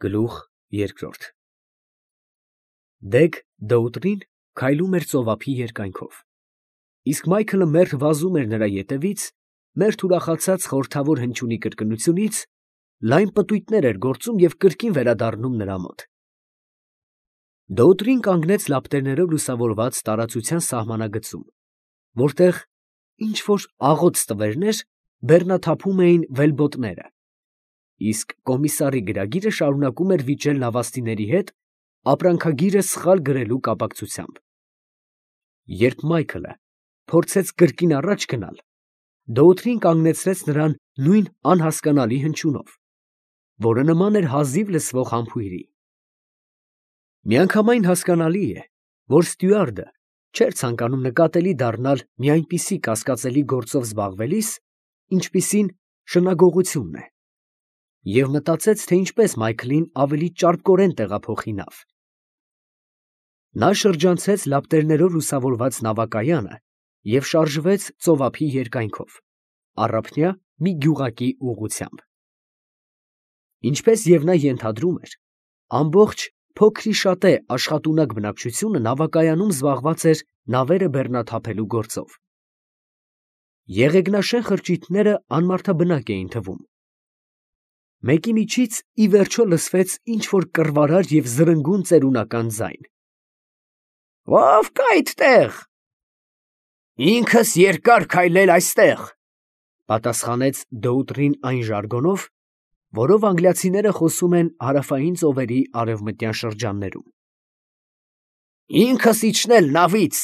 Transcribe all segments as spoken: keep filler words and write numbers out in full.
Գլուխ երկրորդ Դեգ Դոուտրին քայլում էր ծովափի երկայնքով, իսկ Մայքլը մերթ վազում էր նրա ետևից, մերթ ուրախացած խորհրդավոր հնչյունի կրկնությունից, լայն պտույտներ էր գործում և կրկին վերադառնում նրա մոտ։ Դոուտրին կանգնեց լապտերներով լուսավորված տարածության սահմանագծում, որտեղ ինչ֊որ աղոտ ստվերներ բեռնաթափում էին վելբոտները, իսկ կոմիսարի գրագիրը շարունակում էր վիճել նավաստիների հետ ապրանքագիրը սխալ գրելու կապակցությամբ։ Երբ Մայքլը փորձեց կրկին առաջ գնալ, Դոուտրին կանգնեցրեց նրան նույն անհասկանալի հնչյունով, որը նման էր հազիվ լսվող համբույրի։ Միանգամայն հասկանալի է, որ ստյուարդը չէր ցանկանում նկատելի դառնալ մի այնպիսի կասկածելի գործով զբաղվելիս, ինչպիսին շնագողությունն է, և մտածեց, թե ինչպես Մայքլին ավելի ճարպկորեն տեղափոխի նավ։ Նա շրջանցեց լապտերներով լուսավորված նավակայանը և շարժվեց ծովափի երկայնքով, առափնյա մի գյուղակի ուղղությամբ։ Ինչպես և նա ենթադրում էր, ամբողջ փոքրիշատե աշխատունակ բնակչությունը նավակայանում զբաղված էր նավերը բեռնաթափելու գործով։ Եղեգնաշեն խրճիթները անմարդաբնակ էին թվում։ Մեկի միջից ի վերջո լսվեց ինչ֊որ կռվարար և զրնգուն ծերունական ձայն. «Ո՞վ կա այդտեղ»։ «Ինքս երկար քայլել այստեղ», ֊ պատասխանեց Դոուտրին այն ժարգոնով, որով անգլիացիները խոսում են հարավային ծովերի արևմտյան շրջաններում։ «Ինքս իջնել նավից,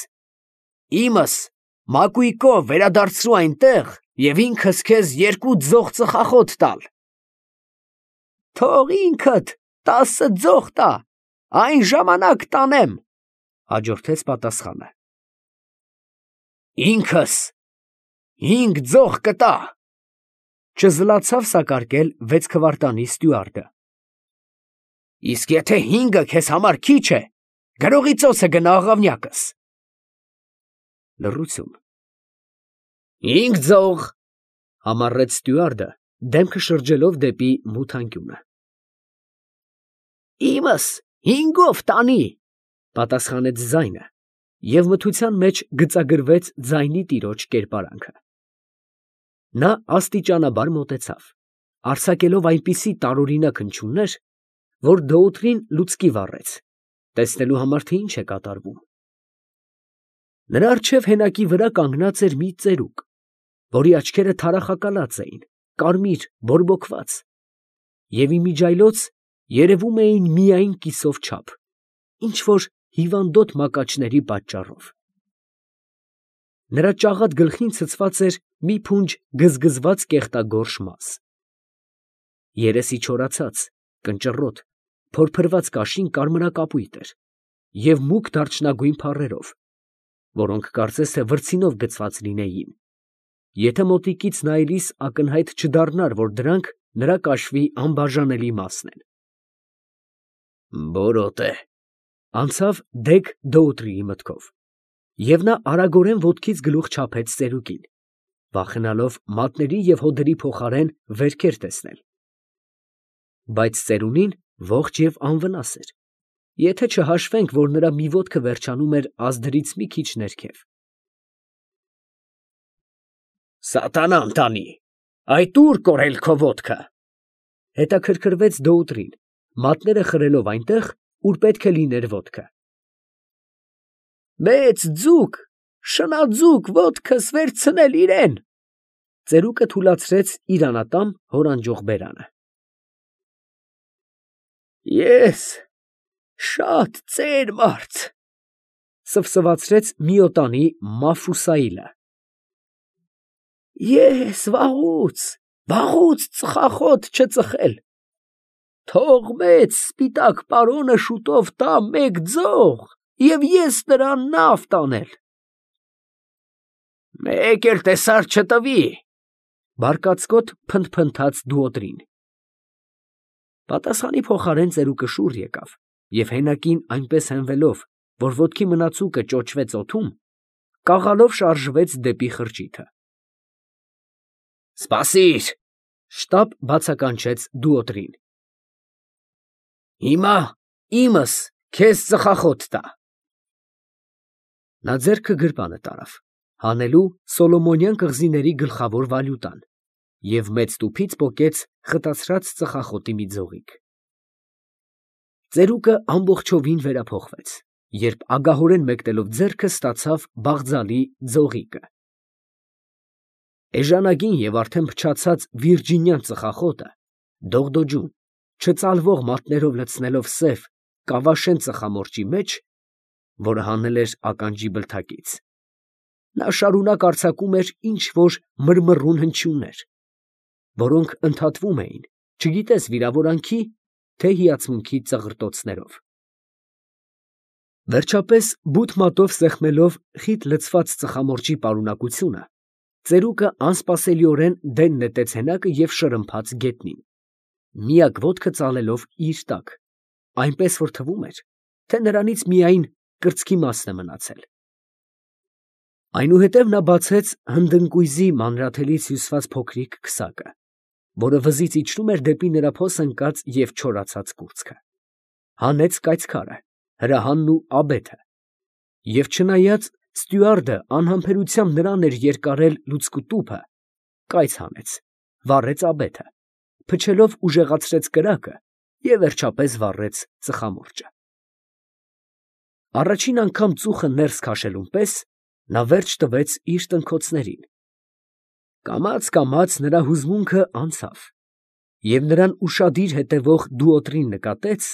իմս մակույկով վերադարձրու այնտեղ և ինքս քեզ երկու ձող ծխախոտ տալ»։ «Թող ինքդ տասը ձող տա, այն ժամանակ տանեմ», ֊ հաջորդեց պատասխանը։ «Ինքս հինգ ձող կտա», ֊ չզլացավ սակարկել վեցքվարտանի ստյուարդը։ «Իսկ եթե հինգը քեզ համար քիչ է, գրողի ծոցը գնա աղավնյակս»։ Լռություն։ «Հինգ ձող», ֊ համառեց ստյուարդը, դեմքը շրջելով դեպի մութ անկյունը։ «Իմս հինգով տանի», ֊ պատասխանեց ձայնը, և մթության մեջ գծագրվեց ձայնի տիրոջ կերպարանքը։ Նա աստիճանաբար մոտեցավ, արձակելով այնպիսի տարօրինակ հնչյուններ, որ Դոուտրին լուցկի վառեց, տեսնելու համար, թե ինչ է կատարվում։ Նրա առջև հենակի վրա կանգնած էր մի ծերուկ, որի աչքերը թարախակալած էին, կարմիր, բորբոքված, և իմիջիայլոց երևում էին միայն կիսով չափ, ինչ֊որ հիվանդոտ մակաչների պատճառով։ Նրա ճաղատ գլխին ցցված էր մի փունջ գզգզված կեղտագորշ մազ։ Երեսի չորացած, կնճռոտ, փորփրված կաշին կարմրակապույտ էր և մուգ դարչնագույն փառերով, որոնք կարծես թե վրձինով գցված լինեին, եթե մոտիկից նայելիս ակնհայտ չդառնար, որ դրանք նրա կաշվի անբաժանելի մասն են։ «Բորոտ է», ֊ անցավ Դեգ Դոուտրիի մտքով, և նա արագորեն ոտքից գլուխ չափեց ծերուկին, վախենալով մատների և հոդերի փոխարեն վերքեր տեսնել։ Բայց ծերունին ողջ և անվնաս էր, եթե չհաշվենք, որ նրա մի ոտքը վերջանում էր ազդրից մի քիչ ներքև։ «Սատանան տանի, այդ ո՞ւր կորել քո ոտքը», ֊ հետաքրքրվեց Դոուտրին, մատները խրելով այնտեղ, ուր պետք է լիներ ոտքը։ «Մեծ ձուկ, շնաձուկ ոտքս վերցնել իրեն», ֊ ծերուկը թուլացրեց իր անատամ հորանջող բերանը։ «Ես շատ ծեր մարդ», ֊ սվսվացրեց միոտանի Մաֆուսայիլը։ «Ես վաղուց, վաղուց ծխախոտ չծխել, թող մեծ սպիտակ պարոնը շուտով տա մեկ ձող, և ես նրան նավ տանել»։ «Մեկ էլ տեսար չտվի», ֊ բարկացկոտ փնթփնթաց Դուոտրին։ Պատասխանի փոխարեն ծերուկը շուռ եկավ և հենակին այնպես հենվելով, որ ոտքի մնացուկը ճոճվեց օդում, կաղալով շարժվեց դեպի խրճիթը։ «Սպասիր», ֊ շտապ բացականչեց Դուոտրին։ Հիմա իմս քեզ ծխախոտ տա։ Նա ձեռքը գրպանը տարավ, հանելու Սոլոմոնյան կղզիների գլխավոր վալյուտան, և մեծ տուփից պոկեց խտացրած ծխախոտի մի ձողիկ։ Ծերուկը ամբողջովին վերափոխվեց, երբ ագահորեն մեկնելով ձեռքը ստացավ բաղձալի ձողիկը։ Էժանագին և արդեն փչացած վիրջինյան ծխախոտը, դողդոջուն, չծալվող մատներով լցնելով սև կավաշեն ծխամորճի մեջ, որը հանել էր ականջի բլթակից, նա շարունակ արձակում էր ինչ֊որ մռմռուն հնչյուններ, որոնք ընդհատվում էին, չգիտես վիրավորանքի, թե հիացմունքի ծղրտոցներով։ Վերջապես, բութ մատով սեղմելով խիտ լցված ծխամորճի պարունակությունը, ծերուկը անսպասելիորեն դեն նետեց հենակը և շրմփաց գետնին, միակ ոտքը ծալելով իր տակ, այնպես որ թվում էր, թե նրանից միայն կրծքի մասն է մնացել։ Այնուհետև նա բացեց հնդընկույզի մանրաթելից հյուսված փոքրիկ քսակը, որը վզից իջնում էր դեպի նրա փոս ընկած և չորացած կուրծքը, հանեց կայծքարը, հրահանն ու աբեթը, և չնայած ստյուարդը անհամբերությամբ նրան էր երկարել լուցկու տուփը, կայծ հանեց, վառեց աբեթը, փչելով ուժեղացրեց կրակը և վերջապես վառեց ծխամորճը։ Առաջին անգամ ծուխը ներս քաշելուն պես նա վերջ տվեց իր տնքոցներին. կամաց֊կամաց նրա հուզմունքը անցավ, և նրան ուշադիր հետևող դուոտրին նկատեց,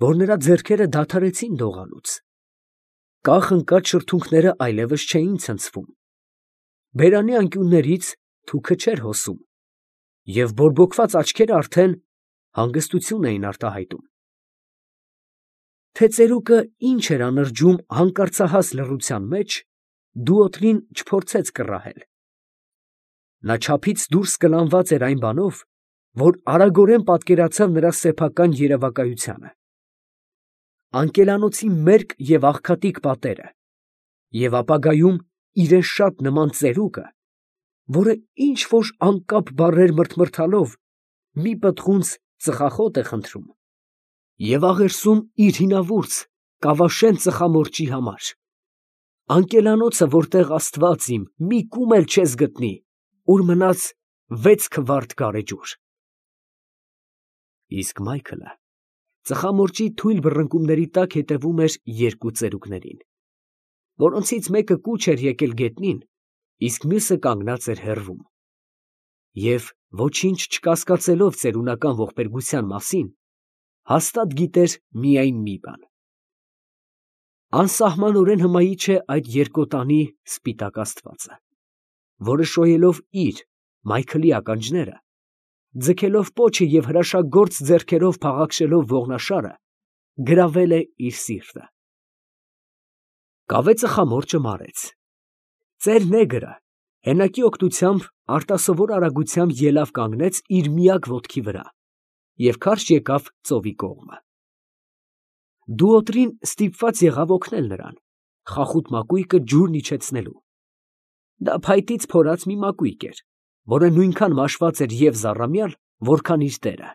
որ նրա ձեռքերը դադարեցին դողալուց, կախ ընկած շրթունքները այլևս չէին ցնցվում, բերանի անկյուններից թուքը չէր հոսում, և բորբոքված աչքերը արդեն հանգստություն էին արտահայտում։ Թե ծերուկը ինչ էր անրջում հանկարծահաս լռության մեջ, դուոտրին չփորձեց կռահել. նա չափից դուրս կլանված էր այն բանով, որ արագորեն պատկերացավ նրա սեփական երևակայությանը, անկելանոցի մերկ և աղքատիկ պատերը, և ապագայում իրան շատ նման ծերուկը, որը ինչ֊որ անկապ բառեր մրթմրթալով մի պտղունց ծխախոտ է խնդրում և աղերսում իր հինավուրց կավաշեն ծխամորճի համար, անկելանոցը, որտեղ աստված իմ մի կում էլ չես գտնի, ուր մնաց վեց քվարդ գարեջուր։ Իսկ Մայքլը ծխամորճի թույլ բռնկումների տակ հետևում էր երկու ծերուկներին, որոնցից մեկը կուչ էր եկել գետնին, իսկ մյուսը կանգնած էր հեռվում, և ոչինչ չկասկածելով ծերունական ողբերգության մասին, հաստատ գիտեր միայն մի բան. անսահմանորեն հմայիչ է այդ երկոտանի սպիտակ աստվածը, որը շոյելով իր՝ Մայքլի ականջները, ձգելով պոչը և հրաշագործ ձեռքերով փաղաքշելով ողնաշարը, գրավել է իր սիրտը։ Կավե ծխամորճը մարեց։ Ծեր նեգրը հենակի օգնությամբ արտասովոր արագությամբ ելավ կանգնեց իր միակ ոտքի վրա և քարշ եկավ ծովի կողմը։ Դուոտրին ստիպված եղավ օգնել նրան, խախուտ մակույկը ջուրն իջեցնելու. դա փայտից փորած մի մակույկ էր, որը նույնքան մաշված էր և զառամյալ, որքան իր տերը։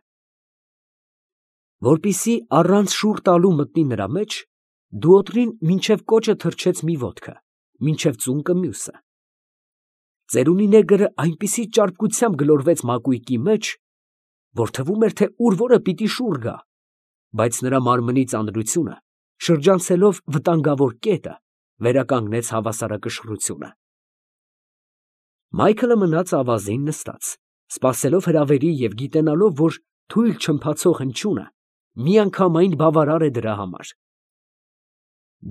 Որպեսզի առանց շուռ տալու մտնի նրա մեջ, դուոտրին մինչև կոճը թռչեց մի ոտքը, մինչև ծունկը մյուսը։ Ծերունի նեգրը այնպիսի ճարպկությամբ գլորվեց մակույկի մեջ, որ թվում էր, թե ուր որը պիտի շուռ գա, բայց նրա մարմնի ծանրությունը, շրջանցելով վտանգավոր կետը, վերականգնեց հավասարակշռությունը։ Մայքլը մնաց ավազին նստած, սպասելով հրավերի և գիտենալով, որ թույլ չըմփացող հնչյունը միանգամայն բավարար է դրա համար։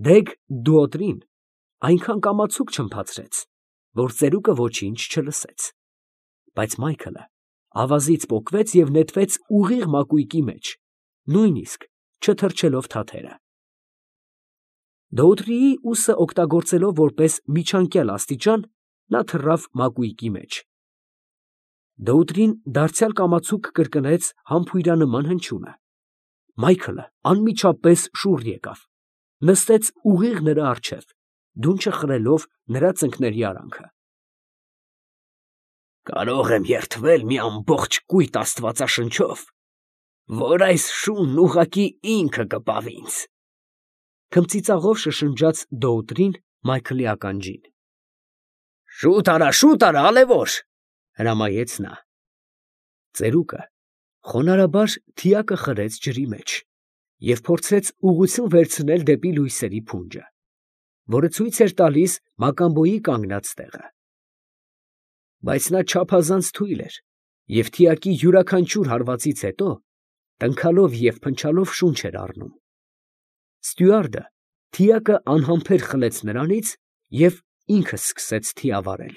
Դեգ դուոտրին այնքան կամացուկ չըմփացրեց, որ ծերուկը ոչինչ չլսեց, բայց Մայքլը ավազից պոկվեց և նետվեց ուղիղ մակույկի մեջ, նույնիսկ չթռչելով թաթերը։ Դոուտրիի ուսը օգտագործելով որպես միջանկյալ աստիճան, նա թռավ մակույկի մեջ։ Դոուտրին դարձյալ կամացուկ կրկնեց համբույրանման հնչյունը։ Մայքլը անմիջապես շուռ եկավ, նստեց ուղիղ նրա առջև, դունչը խրելով նրա ծնկների արանքը։ «Կարո՞ղ եմ երդվել մի ամբողջ կույտ աստվածաշնչով, որ այս շունն ուղղակի ինքը կպավ ինձ։ Քմծիծաղով շշնջաց Դոուտրին Մայքլի ականջին։ Շուտ արա, շուտ արա, ալևոր, հրամայեց նա։ Ծերուկը խոնարհաբար թիակը խրեց ջրի մեջ և փորձեց ուղղություն վերցնել դեպի լույսերի փունջը, որը ցույց էր տալիս Մակամբոյի կանգնած տեղը։ Բայց նա չափազանց թույլ էր և թիակի յուրաքանչյուր հարվածից հետո տնքալով և փնչալով շունչ էր առնում։ Ստյուարդը թիակը անհամբեր խլեց նրանից և ինքը սկսեց թիավարել։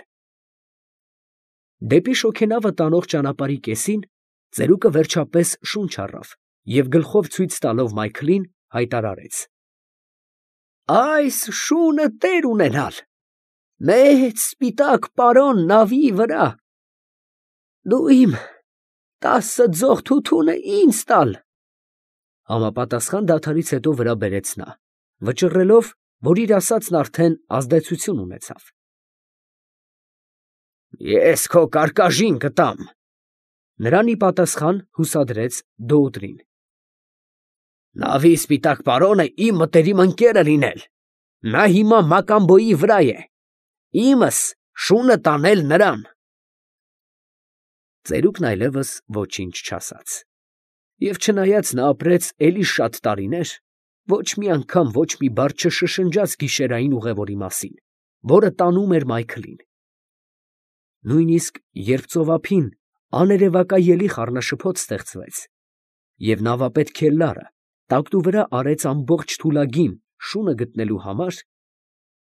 Դեպի շոգենավը տանող ճանապարհի կեսին ծերուկը վերջապես շունչ առավ և գլխով ցույց տալով Մայքլին հայտարարեց. «Այս շունը տեր ունենալ, մեծ սպիտակ պարոն նավի վրա, դու իմ տասը ձող թութունը ինձ տալ», համապատասխան դադարից հետո վրա բերեց նա, վճռելով, որ իր ասածն արդեն ազդեցություն ունեցավ։ «Ես քո կարկաժին կտամ», նրան ի պատասխան հուսադրեց Դոուտրին։ «Նավի սպիտակ պարոնը իմ մտերիմ ընկերը լինել, նա հիմա Մակամբոյի վրա է, իմս շունը տանել նրան»։ Ծերուկն այլևս ոչինչ չասաց, և չնայած նա ապրեց էլի շատ տարիներ, ոչ մի անգամ ոչ մի բառ չշշնջաց գիշերային ուղևորի մասին, որը տանում էր Մայքլին։ Նույնիսկ երբ ծովափին աներևակայելի խառնաշփոթ ստեղծվեց, և նավապետ քելլարը տակտու վրա արեց ամբողջ թուլագին շունը գտնելու համար,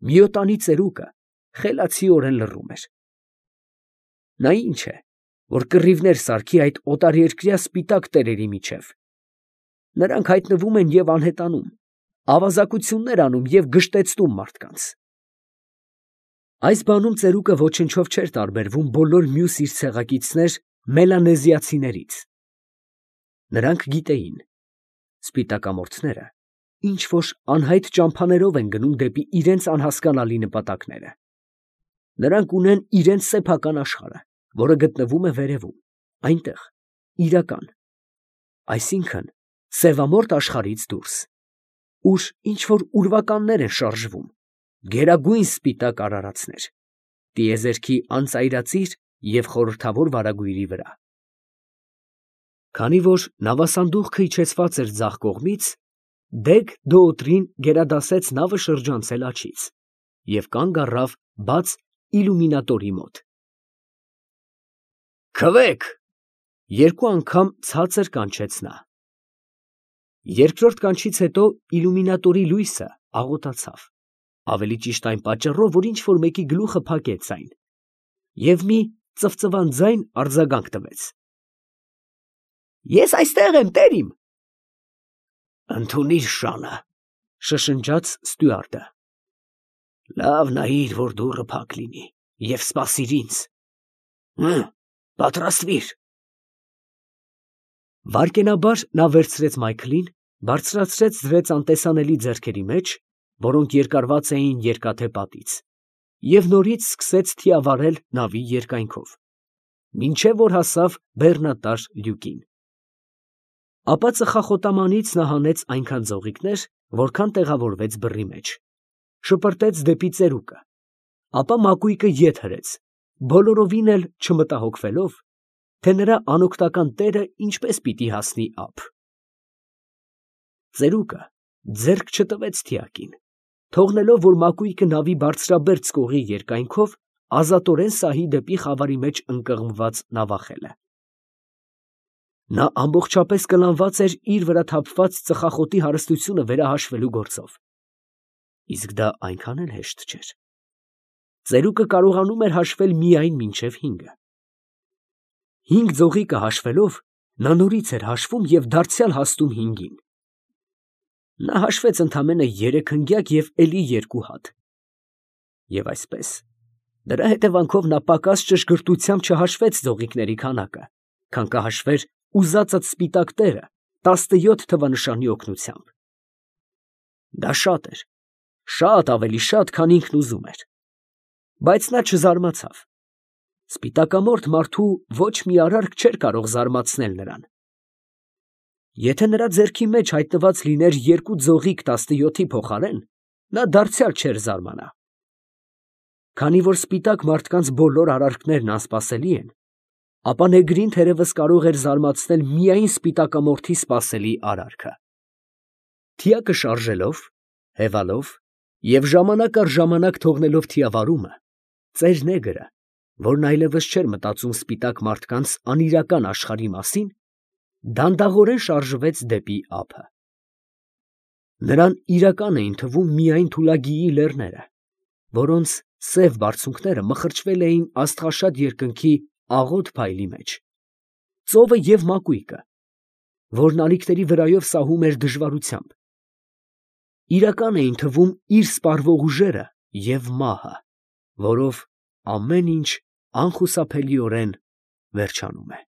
միոտանի ծերուկը խելացիորեն լռում էր։ Նա ի՞նչ է, որ կռիվներ սարքի այդ օտարերկրյա սպիտակ տերերի միջև։ Նրանք հայտնվում են և անհետանում, ավազակություններ անում և գժտեցնում մարդկանց։ Այս բանում ծերուկը ոչնչով չէր տարբերվում բոլոր մյուս իր ցեղակիցներ մելանեզիացիներից։ Նրանք գիտեին. սպիտակամորթները ինչ֊որ անհայտ ճամփաներով են գնում դեպի իրենց անհասկանալի նպատակները։ Նրանք ունեն իրենց սեփական աշխարհը, որը գտնվում է վերևում, այնտեղ, իրական, այսինքն սևամորթ աշխարհից դուրս, ուր ինչ֊որ ուրվականներ են շարժվում, գերագույն սպիտակ արարածներ, տիեզերքի անծայրածիր և խորհրդավոր վարագույրի վրա։ Քանի որ նավասանդուղքը իջեցված էր ձախ կողմից, դեգ Դոուտրին գերադասեց նավը շրջանցել աջից և կանգ առավ բաց իլյումինատորի մոտ։ «Քվեք», երկու անգամ ցածր կանչեց նա։ Երկրորդ կանչից հետո իլյումինատորի լույսը աղոտացավ, ավելի ճիշտ այն պատճառով, որ ինչ֊որ մեկի գլուխը փակեց այն, և մի ծվծվան ձայն արձագանք տվեց։ «Ես այստեղ եմ, տերիմ»։ «Ընդունիր շանը», շշնջաց ստյուարդը։ «Լավ նայիր, որ դուռը փակ լինի, և սպասիր ինձ։ Հը, պատրաստվիր»։ Վայրկենաբար նա վերցրեց Մայքլին, բարձրացրեց դրեց անտեսանելի ձեռքերի մեջ, որոնք երկարված էին երկաթե պատից, և նորից սկսեց թիավարել նավի երկայնքով, մինչև որ հասավ բեռնատար լյուկին։ Ապա ծխախոտամանից նա հանեց այնքան ձողիկներ, որքան տեղավորվեց բռի մեջ, շպրտեց դեպի ծերուկը, ապա մակույկը ետ հրեց, բոլորովին էլ չմտահոգվելով, թե նրա անօգնական տերը ինչպես պիտի հասնի ափ։ Ծերուկը ձեռք չտվեց թիակին, թողնելով, որ մակույկը նավի բարձրաբերձ կողի երկայնքով ազատորեն սահի դեպի խավարի մեջ ընկղմված նավախելը։ Նա ամբողջապես կլանված էր իր վրա թափված ծխախոտի հարստությունը վերահաշվելու գործով, իսկ դա այնքան էլ հեշտ չէր։ Ծերուկը կարողանում էր հաշվել միայն մինչև հինգը։ Հինգ ձողիկը հաշվելով, նա նորից էր հաշվում և դարձյալ հասնում հինգին։ Նա հաշվեց ընդամենը երեք հնգյակ և էլի երկու հատ։ Եվ այսպես, դրա հետևանքով նա պակաս ճշգրտությամբ չհաշվեց ձողիկների քանակը, քան կհաշվեր ուզածդ սպիտակ տերը տասնյոթ թվանշանի օգնությամբ։ Դա շատ էր, շատ ավելի շատ, քան ինքն ուզում էր, բայց նա չզարմացավ։ Սպիտակամորթ մարդու ոչ մի արարք չէր կարող զարմացնել նրան։ Եթե նրա ձեռքի մեջ հայտնված լիներ երկու ձողիկ տասնյոթի փոխարեն, նա դարձյալ չէր զարմանա։ Քանի որ սպիտակ մարդկանց բոլոր արարքներն անսպասելի են, ապա նեգրին թերևս կարող էր զարմացնել միայն սպիտակամորթի սպասելի արարքը։ Թիակը շարժելով, հևալով և ժամանակ առ ժամանակ թողնելով թիավարումը, ծեր նեգրը, որն այլևս չէր մտածում սպիտակ մարդկանց անիրական աշխարհի մասին, դանդաղորեն շարժվեց դեպի ափը։ Նրան իրական էին թվում միայն Թուլագիի լեռները, որոնց սև բարձունքները մխրճվել էին աստղաշատ երկնքի աղոտ փայլի մեջ, ծովը և մակույկը, որն ալիքների վրայով սահում էր դժվարությամբ, իրական էին թվում իր սպառվող ուժերը և մահը, որով ամեն ինչ անխուսափելիորեն վերջանում է։